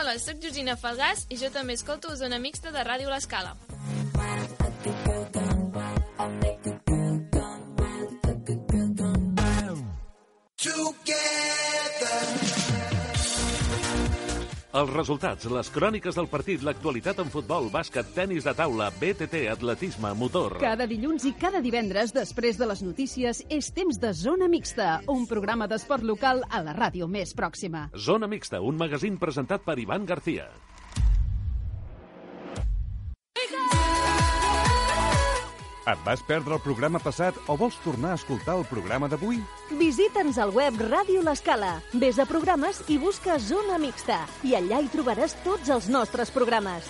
Hola, sóc Georgina Falgàs i jo també escolto Zona Mixta de Ràdio L'Escala. Els resultats, les cròniques del partit, l'actualitat en futbol, bàsquet, tenis de taula, BTT, atletisme, motor... Cada dilluns i cada divendres, després de les notícies, és temps de Zona Mixta, un programa d'esport local a la ràdio més pròxima. Zona Mixta, un magazín presentat per Ivan García. Et vas perdre el programa passat o vols tornar a escoltar el programa d'avui? Visita'ns al web Ràdio L'Escala. Ves a programes i busca Zona Mixta. I allà hi trobaràs tots els nostres programes.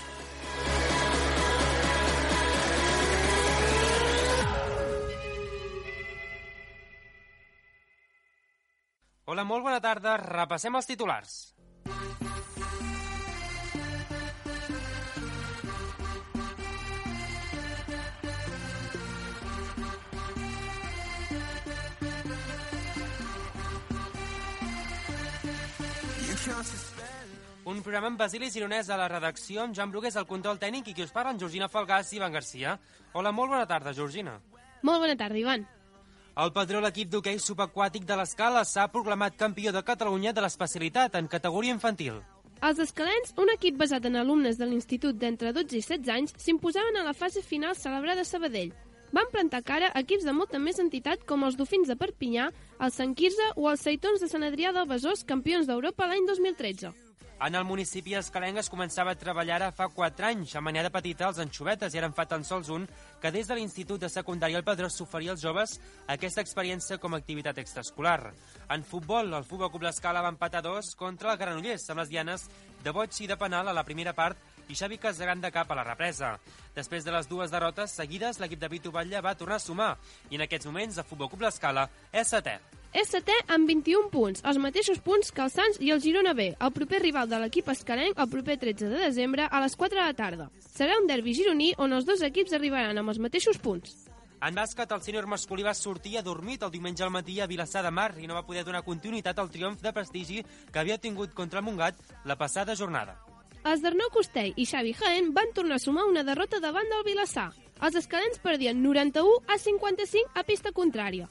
Hola, molt bona tarda. Repassem els titulars. Un programa amb Basili Gironès a la redacció, amb Joan Brugués al control tècnic i qui us parla, en Georgina Falgàs i Ivan García. Hola, molt bona tarda, Georgina. Molt bona tarda, Ivan. El patró, l'equip d'hoquei subaquàtic de l'Escala, s'ha proclamat campió de Catalunya de l'especialitat en categoria infantil. Els escalens, un equip basat en alumnes de l'institut d'entre 12 i 16 anys, s'imposaven a la fase final celebrada a Sabadell. Van plantar cara a equips de molta més entitat com els Dofins de Perpinyà, el Sant Quirze o els Seitons de Sant Adrià del Besòs, campions d'Europa l'any 2013. En el municipi escalenc es començava a treballar ara fa 4 anys. A Manyà de Petita, els anxovetes, i ara en fa tan sols un, que des de l'Institut de Secundària el Pedrós s'oferia als joves aquesta experiència com a activitat extraescolar. En futbol, el Futbol Club L'Escala va empatar 2 contra el Granollers, amb les dianes de boig i de penal a la primera part i Xavi Casagrán de cap a la represa. Després de les 2 derrotes seguides, l'equip de Vitu Batlle va tornar a sumar i en aquests moments el Futbol Club L'Escala és setè. És setè amb 21 punts, els mateixos punts que el Sants i el Girona B, el proper rival de l'equip escalenc el proper 13 de desembre a les 4 de la tarda. Serà un derbi gironí on els dos equips arribaran amb els mateixos punts. En bàsquet, el sènior masculí va sortir adormit el diumenge al matí a Vilassar de Mar i no va poder donar continuïtat al triomf de prestigi que havia tingut contra el Montgat la passada jornada. Els d'Arnau Costell i Xavi Jaén van tornar a sumar una derrota davant del Vilassar. Els escalents perdien 91 a 55 a pista contrària.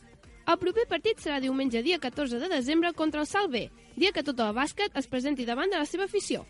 El proper partit serà diumenge dia 14 de desembre contra el Salt B, dia que tot el bàsquet es presenti davant de la seva afició.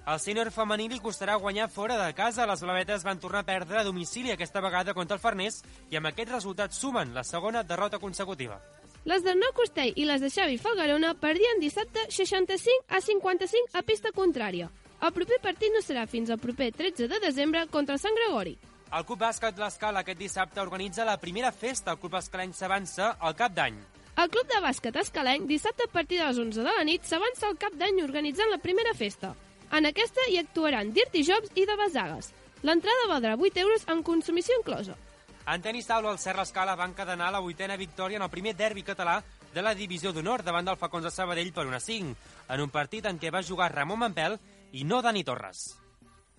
Al sènior femení li costarà guanyar fora de casa. Les blavetes van tornar a perdre a domicili aquesta vegada contra el Farners i amb aquest resultat sumen la segona derrota consecutiva. Les d'Arnau Costell i les de Xavi Falgarona perdien dissabte 65 a 55 a pista contrària. El proper partit no serà fins al proper 13 de desembre contra el Sant Gregori. El Club Bàsquet L'Escala aquest dissabte organitza la primera festa. El Club Escalenc s'avança al cap d'any. El Club de Bàsquet Escalenc dissabte a partir de les 11 de la nit s'avança al cap d'any organitzant la primera festa. En aquesta hi actuaran Dirty Jobs i de Basagues. L'entrada valdrà 8 euros amb consumició inclosa. En tenis taula, el Serra Escala va encadenar la 8a victòria en el primer derbi català de la divisió d'honor davant del Falcons de Sabadell per 1-5, en un partit en què va jugar Ramon Mampel i no Dani Torres.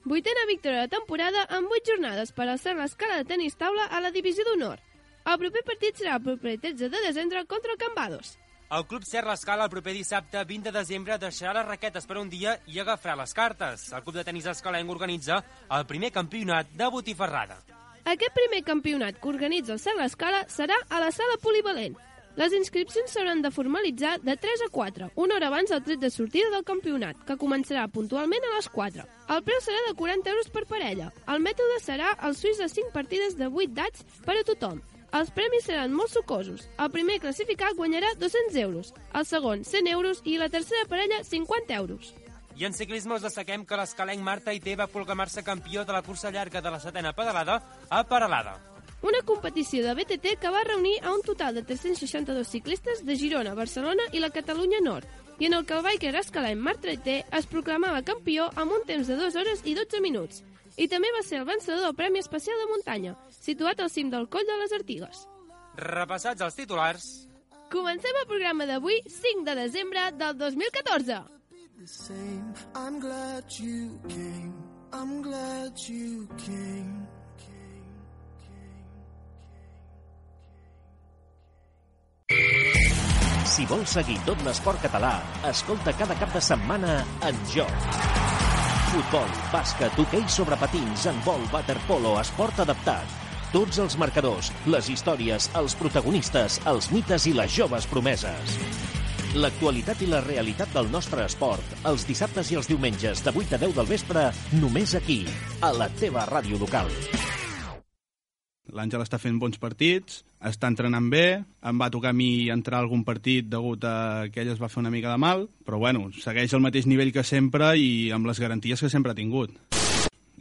8a victòria de temporada amb 8 jornades per al Serra Escala de tenis taula a la divisió d'honor. El proper partit serà el proper 13 de desembre contra el Cambados. El Club Serra Escala el proper dissabte 20 de desembre deixarà les raquetes per un dia i agafarà les cartes. El Club de Tenis Escalenc organitza el primer campionat de botifarrada. Aquest primer campionat que organitza el Serra Escala serà a la sala polivalent. Les inscripcions s'hauran de formalitzar de 3 a 4, una hora abans del tret de sortida del campionat, que començarà puntualment a les 4. El preu serà de 40 euros per parella. El mètode serà el suís de 5 partides de 8 dats per a tothom. Els premis seran molt sucosos. El primer classificat guanyarà 200 euros, el segon 100 euros i la tercera parella 50 euros. I en ciclisme us destaquem que l'escalenc Marta Ité va proclamar-se campió de la cursa llarga de la 7a pedalada a Peralada. Una competició de BTT que va reunir a un total de 362 ciclistes de Girona, Barcelona i la Catalunya Nord, i en el que el biker escalenc Marta Ité es proclamava campió amb un temps de 2 hores i 12 minuts. I també va ser el vencedor del Premi Especial de Muntanya, situat al cim del Coll de les Artigues. Repassats els titulars, comencem el programa d'avui, 5 de desembre del 2014. I'm glad you came. I'm glad you came. Si vols seguir tot l'esport català, escolta cada cap de setmana En Joc. Futbol, bàsquet, hoquei sobre patins, handbol, waterpolo, esport adaptat. Tots els marcadors, les històries, els protagonistes, els mites i les joves promeses. L'actualitat i la realitat del nostre esport, els dissabtes i els diumenges de 8 a 10 del vespre, només aquí, a la teva ràdio local. L'Àngel està fent bons partits, està entrenant bé, em va tocar a mi entrar a algun partit degut a que ell es va fer una mica de mal, però bueno, segueix al mateix nivell que sempre i amb les garanties que sempre ha tingut.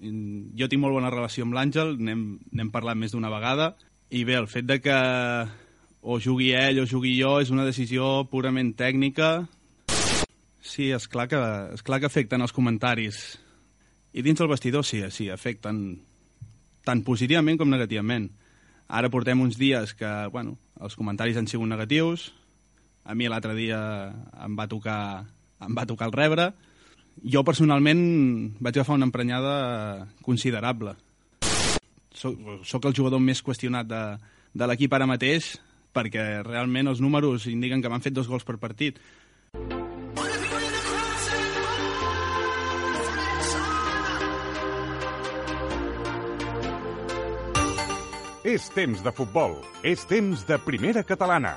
Jo tinc molt bona relació amb l'Àngel, n'hem parlat més d'una vegada, i bé, el fet de que o jugui ell o jugui jo és una decisió purament tècnica. Sí, és clar que afecten els comentaris. I dins el vestidor sí, afecten tant positivament com negativament. Ara portem uns dies que, bueno, els comentaris han sigut negatius. A mi l'altre dia em va tocar el rebre. Jo personalment vaig agafar una emprenyada considerable. Soc el jugador més qüestionat de l'equip ara mateix, perquè realment els números indiquen que m'han fet 2 gols per partit. És temps de futbol. És temps de primera catalana.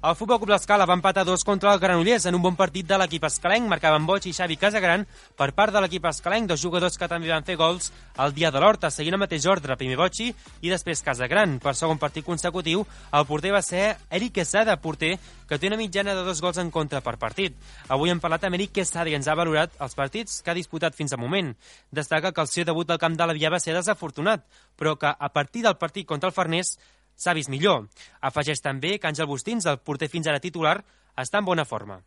El Futbol Club L'Escala va empatar 2 contra el Granollers en un bon partit de l'equip escalenc. Marcaven Boig i Xavi Casagran per part de l'equip escalenc, 2 jugadors que també van fer gols el dia de l'Horta, seguint el mateix ordre, primer Boig i després Casagran. Per segon partit consecutiu, el porter va ser Eric Quesada, porter que té una mitjana de 2 gols en contra per partit. Avui hem parlat amb Eric Quesada i ens ha valorat els partits que ha disputat fins al moment. Destaca que el seu debut al camp de l'Avià va ser desafortunat, però que a partir del partit contra el Farners s'ha vist millor. Afegeix també que Àngel Bustins, el porter fins ara titular, està en bona forma.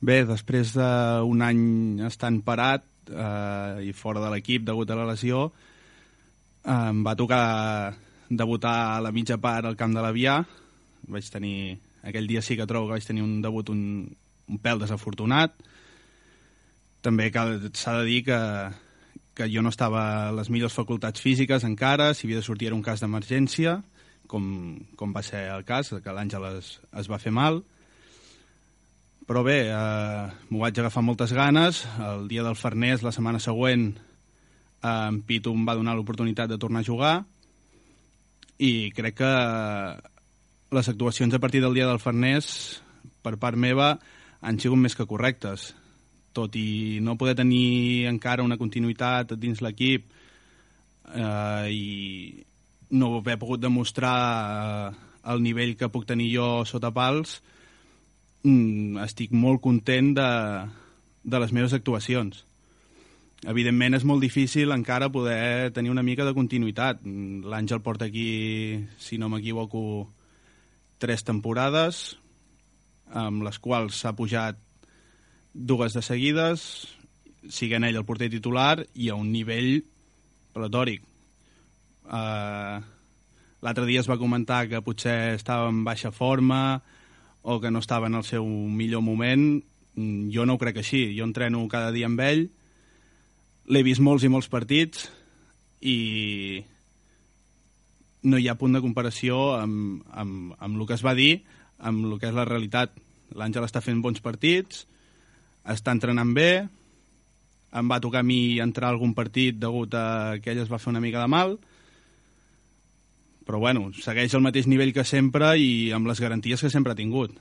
Bé, després d'un any estant parat i fora de l'equip degut a la lesió, em va tocar debutar a la mitja part al camp de l'Avià. Aquell dia sí que trobo que vaig tenir un debut un pèl desafortunat. També s'ha de dir que jo no estava a les millors facultats físiques encara, si havia de sortir era un cas d'emergència, com va ser el cas, que l'Àngel es va fer mal. Però bé, m'ho vaig agafar moltes ganes. El dia del Farners, la setmana següent, en Pitu em va donar l'oportunitat de tornar a jugar i crec que les actuacions a partir del dia del Farners, per part meva, han sigut més que correctes. Tot i no poder tenir encara una continuïtat dins l'equip i no haver pogut demostrar el nivell que puc tenir jo sota pals, estic molt content de les meves actuacions. Evidentment és molt difícil encara poder tenir una mica de continuïtat. L'Àngel porta aquí, si no m'equivoco, 3 temporades, amb les quals s'ha pujat 2 de seguides, siguent ell el porter titular i a un nivell platòric. L'altre dia es va comentar que potser estava en baixa forma o que no estava en el seu millor moment. Jo no ho crec així. Jo entreno cada dia amb ell, l'he vist molts i molts partits i no hi ha punt de comparació amb el que es va dir, amb el que és la realitat. L'Àngel està fent bons partits, està entrenant bé, em va tocar a mi entrar a algun partit degut a que ell es va fer una mica de mal, però bueno, segueix al mateix nivell que sempre i amb les garanties que sempre ha tingut.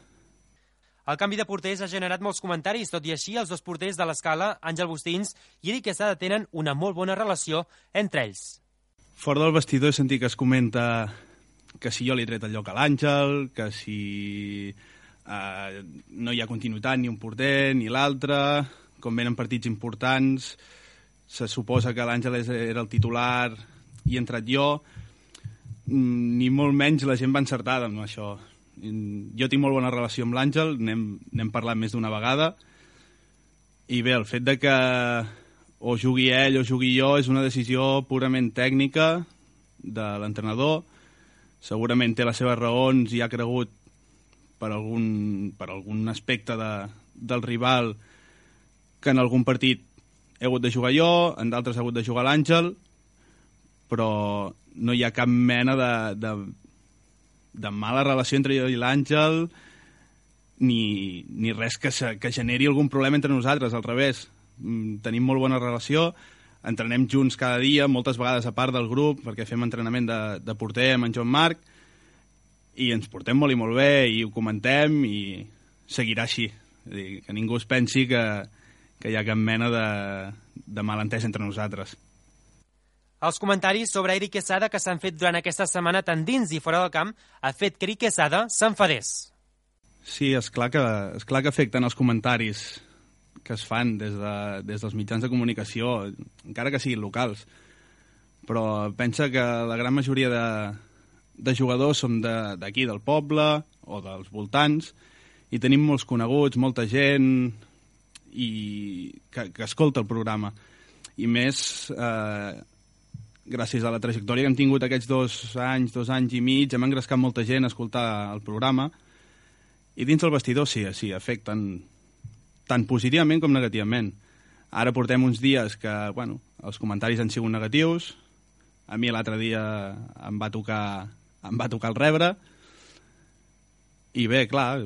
El canvi de porters ha generat molts comentaris, tot i així els 2 porters de l'Escala, Àngel Bustins i Eric Quesada, tenen una molt bona relació entre ells. Fora del vestidor he sentit que es comenta que si jo li he tret el lloc a l'Àngel, que si no hi ha continuïtat ni un porter ni l'altre, com venen partits importants, se suposa que l'Àngel era el titular i he entrat jo. Ni molt menys la gent va encertada amb això. Jo tinc molt bona relació amb l'Àngel, n'hem parlat més d'una vegada, i bé, el fet de que o jugui ell o jugui jo és una decisió purament tècnica de l'entrenador. Segurament té les seves raons i ha cregut per algun aspecte del rival que en algun partit he hagut de jugar jo, en d'altres ha hagut de jugar l'Àngel, però no hi ha cap mena de mala relació entre jo i l'Àngel, ni res que generi algun problema entre nosaltres, al revés. Tenim molt bona relació, entrenem junts cada dia, moltes vegades a part del grup, perquè fem entrenament de porter amb en Joan Marc, i ens portem molt i molt bé, i ho comentem, i seguirà així. És a dir, que ningú es pensi que hi ha cap mena de malentès entre nosaltres. Els comentaris sobre Eric Quesada que s'han fet durant aquesta setmana tant dins i fora del camp ha fet que Eric Quesada s'enfadés. Sí, és clar que afecten els comentaris que es fan des dels mitjans de comunicació, encara que siguin locals. Però pensa que la gran majoria de jugadors som d'aquí, del poble o dels voltants, i tenim molts coneguts, molta gent que escolta el programa. I més, gràcies a la trajectòria que hem tingut aquests 2 anys i mig, hem engrescat molta gent a escoltar el programa, i dins el vestidor sí, afecten tant positivament com negativament. Ara portem uns dies que, bueno, els comentaris han sigut negatius, a mi l'altre dia em va tocar el rebre, i bé, clar,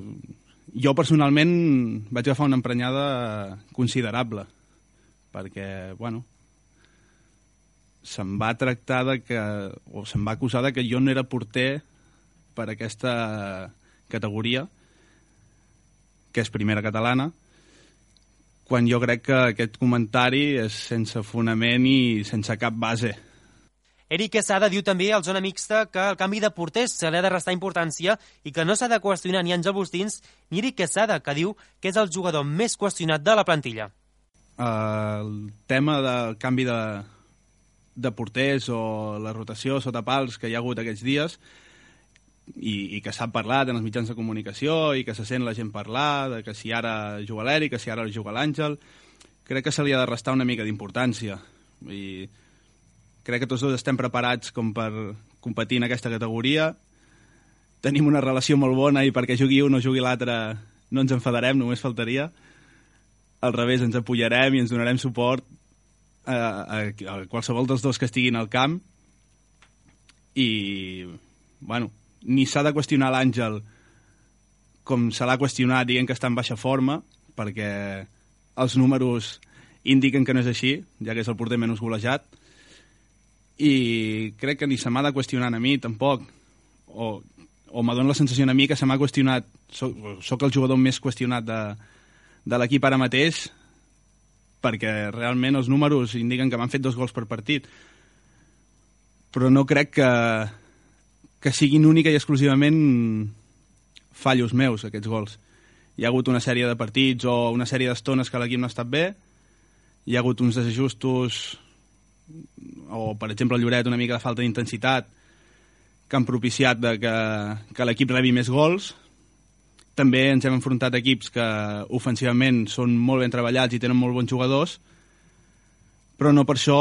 jo personalment vaig agafar una emprenyada considerable, perquè, bueno, se'm va tractar se'm va acusar que jo no era porter per aquesta categoria, que és primera catalana, quan jo crec que aquest comentari és sense fonament i sense cap base. Eric Quesada diu també al Zona Mixta que el canvi de porters se li ha de restar importància i que no s'ha de qüestionar ni Àngel Bustins ni Eric Quesada, que diu que és el jugador més qüestionat de la plantilla. El tema del canvi de porters o la rotació sota pals que hi ha hagut aquests dies i que s'ha parlat en els mitjans de comunicació i que se sent la gent parlar de que si ara juga l'Eric, que si ara juga l'Àngel, crec que se li ha de restar una mica d'importància. I crec que tots dos estem preparats com per competir en aquesta categoria. Tenim una relació molt bona i perquè jugui un o jugui l'altre no ens enfadarem, només faltaria. Al revés, ens apoyarem i ens donarem suport a qualsevol dels dos que estiguin al camp. I, bueno, ni s'ha de qüestionar l'Àngel com se l'ha qüestionat dient que està en baixa forma, perquè els números indiquen que no és així, ja que és el porter menys golejat, i crec que ni se m'ha de qüestionar a mi tampoc, o m'adona la sensació a mi que se m'ha qüestionat, soc el jugador més qüestionat de l'equip ara mateix, perquè realment els números indiquen que m'han fet 2 gols per partit, però no crec que siguin única i exclusivament fallos meus, aquests gols. Hi ha hagut una sèrie de partits o una sèrie d'estones que l'equip no ha estat bé, hi ha hagut uns desajustos o, per exemple, el Lloret, una mica de falta d'intensitat que han propiciat que l'equip rebi més gols. També ens hem enfrontat a equips que ofensivament són molt ben treballats i tenen molt bons jugadors, però no per això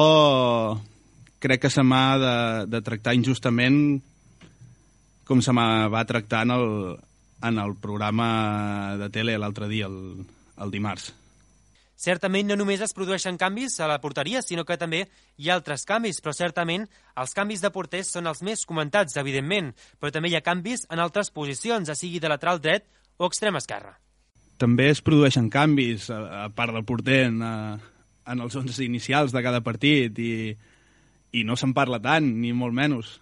crec que se m'ha de tractar injustament com se va tractar en el programa de tele l'altre dia, el dimarts. Certament no només es produeixen canvis a la porteria, sinó que també hi ha altres canvis, però certament els canvis de porters són els més comentats, evidentment, però també hi ha canvis en altres posicions, ja sigui de lateral dret o extrem esquerre. També es produeixen canvis, a part del porter, en els 11 inicials de cada partit, i no se'n parla tant, ni molt menys,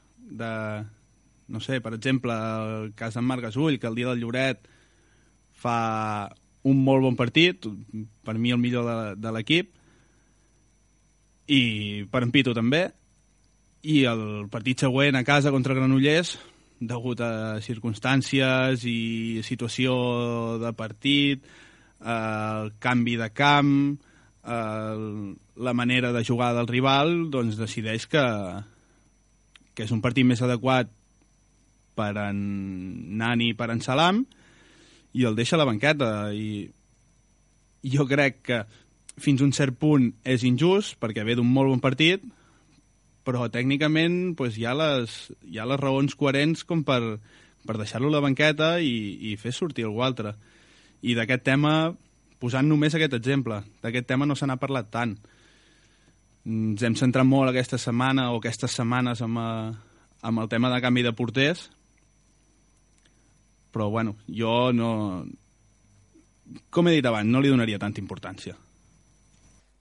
no sé, per exemple, el cas d'en Marc Gasull, que el dia del Lloret fa un molt bon partit, per mi el millor de l'equip, i per en Pitu també, i el partit següent a casa contra Granollers, degut a circumstàncies i situació de partit, el canvi de camp, la manera de jugar del rival, doncs decideix que és un partit més adequat per en Nani i per en Salam, i el deixa a la banqueta. I jo crec que fins a un cert punt és injust, perquè ve d'un molt bon partit, però tècnicament doncs, hi ha les raons coherents com per deixar-lo a la banqueta i fer sortir algú altre. I d'aquest tema, posant només aquest exemple, d'aquest tema no se n'ha parlat tant. Ens hem centrat molt aquesta setmana o aquestes setmanes amb el tema de canvi de porters, però bueno, jo no... Com he dit abans, no li donaria tanta importància.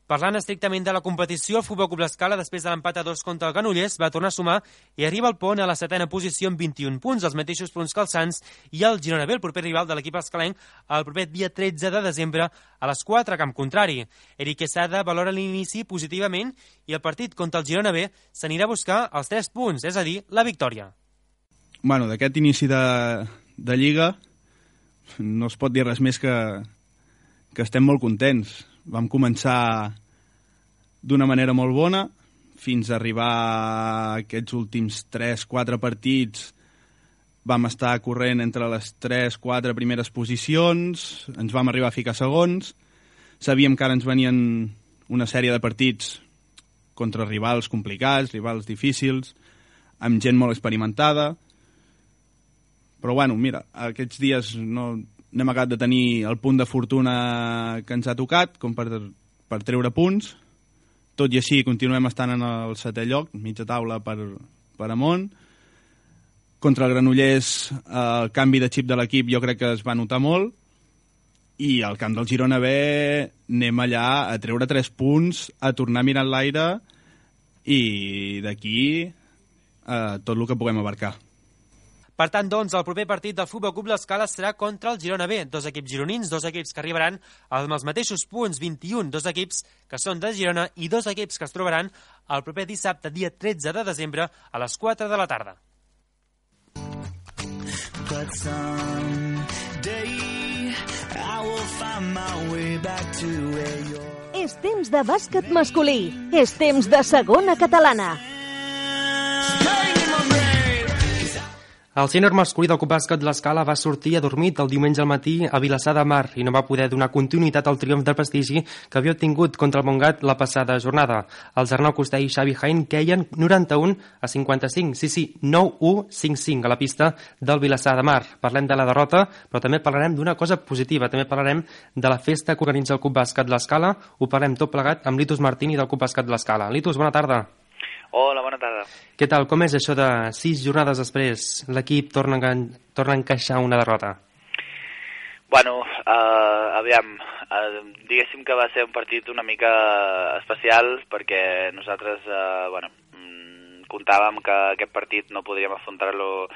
Parlant estrictament de la competició, el Futbol Club L'Escala, després de l'empat a 2 contra el Granollers, va tornar a sumar i arriba al Pont a la 7ª posició amb 21 punts, els mateixos punts que el Sants i el Girona B, el proper rival de l'equip escalenc, el proper dia 13 de desembre a les 4 a camp contrari. Eric Quesada valora l'inici positivament i el partit contra el Girona B s'anirà a buscar els 3 punts, és a dir, la victòria. Bueno, d'aquest inici de Lliga no es pot dir res més que estem molt contents. Vam començar d'una manera molt bona, fins a arribar a aquests últims 3-4 partits vam estar corrent entre les 3-4 primeres posicions, ens vam arribar a ficar segons, sabíem que ara ens venien una sèrie de partits contra rivals complicats, rivals difícils, amb gent molt experimentada, però bueno, mira, aquests dies no hem acabat de tenir el punt de fortuna que ens ha tocat, com per treure punts. Tot i així, continuem estant en el 7è lloc, mitja taula per amunt. Contra el Granollers, el canvi de xip de l'equip jo crec que es va notar molt. I al camp del Girona B anem allà a treure 3 punts, a tornar a mirar l'aire i d'aquí tot el que puguem abarcar. Per tant, doncs, el proper partit del Futbol Club L'Escala serà contra el Girona B. 2 equips gironins, 2 equips que arribaran amb els mateixos punts, 21, 2 equips que són de Girona i 2 equips que es trobaran el proper dissabte, dia 13 de desembre, a les 4 de la tarda. But someday I will find my way back to where you're... És temps de bàsquet masculí. És temps de segona catalana. El sènior masculí del Club Bàsquet L'Escala va sortir adormit el diumenge al matí a Vilassar de Mar i no va poder donar continuïtat al triomf de prestigi que havia obtingut contra el Montgat la passada jornada. Els Arnau Costell i Xavi Jaén queien 91-55, sí, 9-1-5-5 a la pista del Vilassar de Mar. Parlem de la derrota, però també parlarem d'una cosa positiva, també parlarem de la festa que organitza el Club Bàsquet L'Escala. Ho parlem tot plegat amb Litus Martini del Club Bàsquet L'Escala. Litus, bona tarda. Hola, bona tarda. Què tal? Com és això de 6 jornades després? L'equip torna a encaixar una derrota? Bueno, aviam, diguéssim que va ser un partit una mica especial perquè nosaltres, comptàvem que aquest partit no podríem afrontar-lo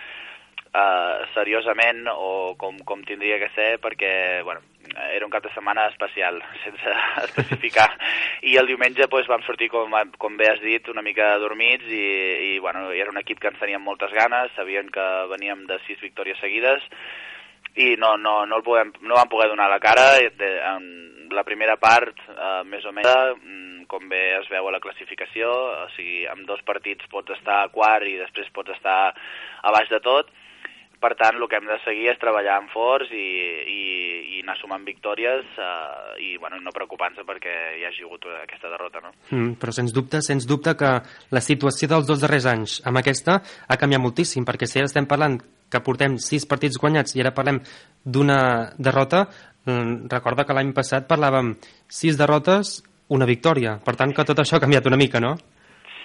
seriosament o com tindria que ser perquè, era un cap de setmana especial, sense especificar. I el diumenge vam sortir, com bé has dit, una mica dormits i era un equip que ens teníem moltes ganes, sabien que veníem de 6 victòries seguides i no vam poder donar la cara. En la primera part, més o menys, com bé es veu a la classificació, o sigui, amb 2 partits pots estar a quart i després pots estar a baix de tot. Per tant, el que hem de seguir és treballar en forts i anar sumant victòries i no preocupar-nos perquè hi hagi hagut aquesta derrota, no? Però sens dubte que la situació dels 2 darrers anys amb aquesta ha canviat moltíssim, perquè si ara estem parlant que portem 6 partits guanyats i ara parlem d'una derrota, recorda que l'any passat parlàvem 6 derrotes, una victòria. Per tant, que tot això ha canviat una mica, no?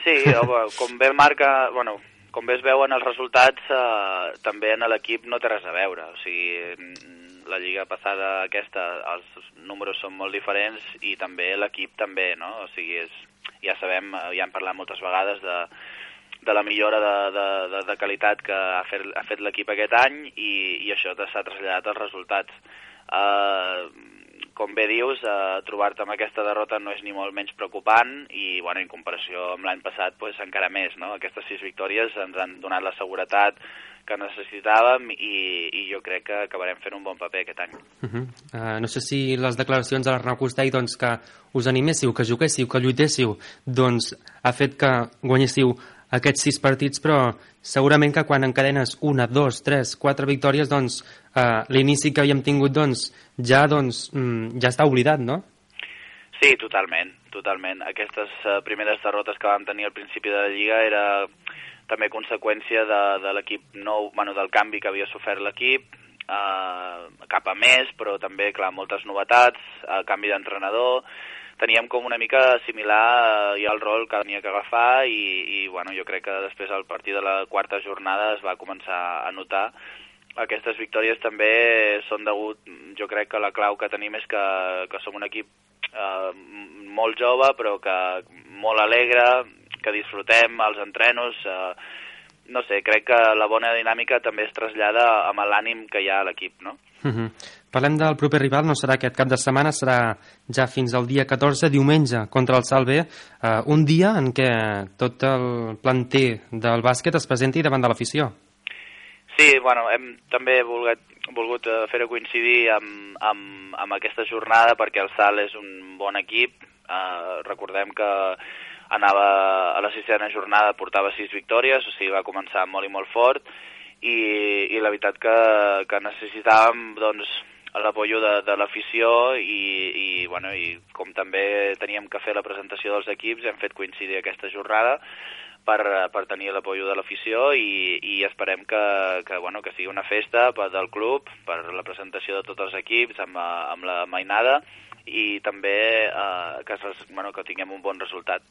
Sí, com bé marca... Com bé es veuen els resultats, també en l'equip no té res a veure. O sigui, la lliga passada aquesta, els números són molt diferents i també l'equip també, no? O sigui, ja sabem, ja hem parlat moltes vegades de la millora de qualitat que ha fet l'equip aquest any i això s'ha traslladat als resultats. Com bé dius, trobar-te amb aquesta derrota no és ni molt menys preocupant i, en comparació amb l'any passat, encara més, no? Aquestes 6 victòries ens han donat la seguretat que necessitàvem i jo crec que acabarem fent un bon paper aquest any. No sé si les declaracions de l'Arnau Costell, que us animéssiu, que juguéssiu, que lluitéssiu, ha fet que guanyéssiu aquests 6 partits, però segurament que quan encadenes 1, 2, 3, 4 victòries, l'inici que havíem tingut, ja està oblidat, no? Sí, totalment. Aquestes primeres derrotes que vam tenir al principi de la Lliga era també conseqüència de l'equip nou, del canvi que havia sofert l'equip, cap a més, però també, clar, moltes novetats, canvi d'entrenador, teníem com una mica similar ja el rol que tenia que agafar i bueno, jo crec que després al partir de la quarta jornada es va començar a notar. Aquestes victòries també són degut, jo crec que la clau que tenim és que som un equip molt jove però que molt alegre, que disfrutem els entrenos, no sé, crec que la bona dinàmica també es trasllada amb l'ànim que hi ha a l'equip, no? Parlem del proper rival, no serà aquest cap de setmana, serà ja fins al dia 14, diumenge, contra el Salve, un dia en què tot el planter del bàsquet es presenti davant de l'afició. Sí, bueno, hem també volgut fer-ho coincidir amb aquesta jornada perquè el Sal és un bon equip. Recordem que anava a la sisena jornada, portava 6 victòries, o sigui, va començar molt i molt fort i la veritat que necessitàvem doncs, l'apoyo de l'afició i com també teníem que fer la presentació dels equips, hem fet coincidir aquesta jornada per tenir l'apoyo de l'afició i esperem que sigui una festa del club per la presentació de tots els equips amb la mainada i també que tinguem un bon resultat.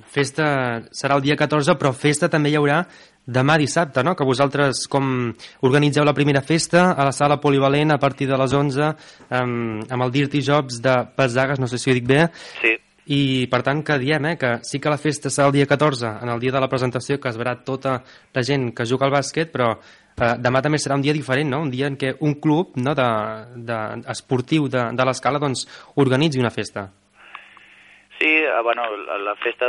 Festa serà el dia 14, però festa també hi haurà demà dissabte, no? Que vosaltres com organitzeu la primera festa a la sala polivalent a partir de les 11 amb el Dirty Jobs de Pesagues, no sé si ho dic bé. Sí. I per tant que diem que sí que la festa serà el dia 14, en el dia de la presentació, que es verà tota la gent que juga al bàsquet, però demà també serà un dia diferent, no? Un dia en què un club esportiu de l'Escala doncs, organitzi una festa. Sí, la festa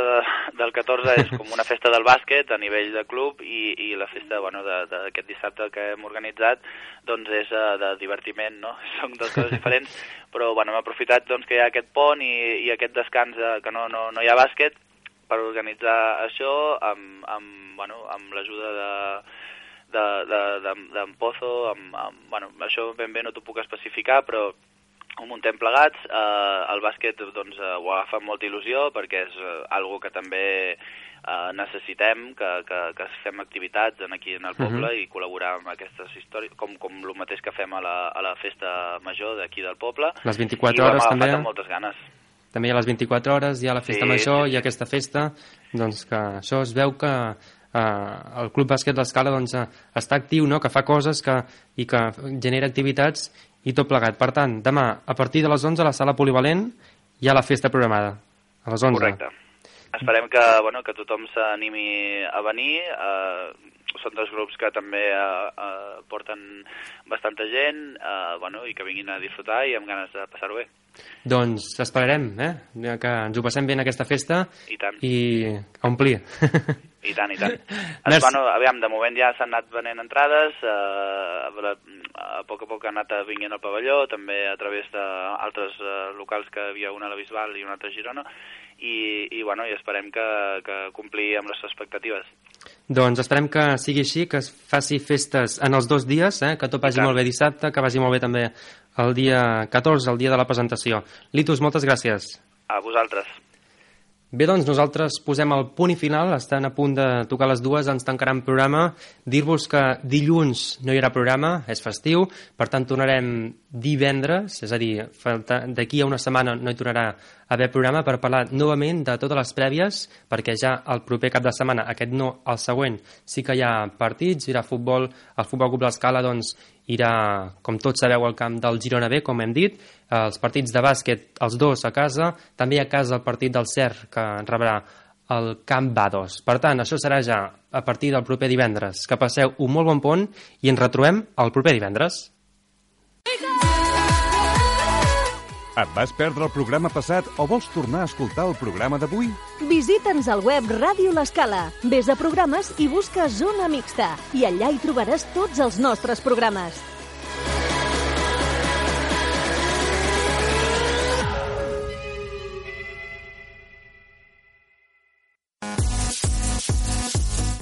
del 14 és com una festa del bàsquet a nivell de club i la festa d'aquest dissabte que hem organitzat doncs és de divertiment, no? Són dues coses diferents, però hem aprofitat doncs, que hi ha aquest pont i aquest descans que no hi ha bàsquet per organitzar això amb l'ajuda d'en Pozo, això ben bé no t'ho puc especificar, però ho muntem plegats. El bàsquet doncs, ho agafa amb molta il·lusió perquè és algo que també necessitem, que fem activitats aquí en el poble i col·laborar amb aquestes històries, com el mateix que fem a la festa major d'aquí del poble. Les 24 hores també. I ho hem agafat amb moltes ganes. També hi ha les 24 hores, hi ha la festa major i aquesta festa, doncs que això es veu que el Club Bàsquet l'Escala doncs, està actiu, no? Que fa coses i que genera activitats i tot plegat. Per tant, demà, a partir de les 11 a la sala polivalent hi ha la festa programada, a les 11. Correcte. Esperem que tothom s'animi a venir. Són dos grups que també porten bastanta gent i que vinguin a disfrutar i amb ganes de passar-ho bé. Doncs esperarem que ens ho passem bé en aquesta festa i a omplir. I tant, i tant. Aviam, de moment ja s'han anat venent entrades, a poc ha anat vinguent al pavelló, també a través d'altres locals que hi havia una a la Bisbal i una altra a Girona, i esperem que complir amb les expectatives. Doncs esperem que sigui així, que es faci festes en els 2 dies, que tot vagi molt bé dissabte, que vagi molt bé també el dia 14, el dia de la presentació. Litus, moltes gràcies. A vosaltres. Bé, doncs nosaltres posem el punt i final, estan a punt de tocar les 2, ens tancaran programa. Dir-vos que dilluns no hi haurà programa, és festiu, per tant tornarem divendres, és a dir, d'aquí a una setmana no hi tornarà a haver programa per parlar novament de totes les prèvies, perquè ja el proper cap de setmana, aquest no, el següent, sí que hi ha partits, hi haurà futbol, el Futbol Club l'Escala doncs irà, com tots sabeu, al camp del Girona B, com hem dit, els partits de bàsquet, els 2 a casa, també a casa el partit del Cer, que rebrà el Camp Bados. Per tant, això serà ja a partir del proper divendres. Que passeu un molt bon pont i ens retrobem el proper divendres. Et vas perdre el programa passat o vols tornar a escoltar el programa d'avui? Visita'ns al web Ràdio l'Escala. Ves a programes i busca Zona Mixta. I allà hi trobaràs tots els nostres programes.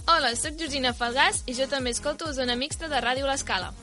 Hola, soc Georgina Falgàs i jo també escolto Zona Mixta de Ràdio l'Escala.